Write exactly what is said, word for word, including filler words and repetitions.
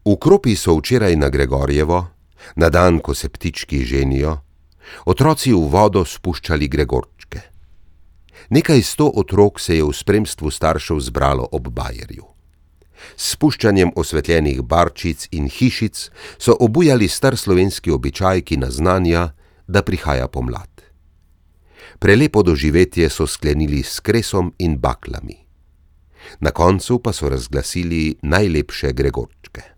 V Kropi so včeraj na Gregorjevo, na dan, ko se ptički ženijo, otroci v vodo spuščali gregorčke. Nekaj sto otrok se je v spremstvu staršev zbralo ob bajerju. S spuščanjem osvetljenih barčic in hišic so obujali star slovenski običaj, ki naznanja, da prihaja pomlad. Prelepo doživetje so sklenili s kresom in baklami. Na koncu pa so razglasili najlepše gregorčke.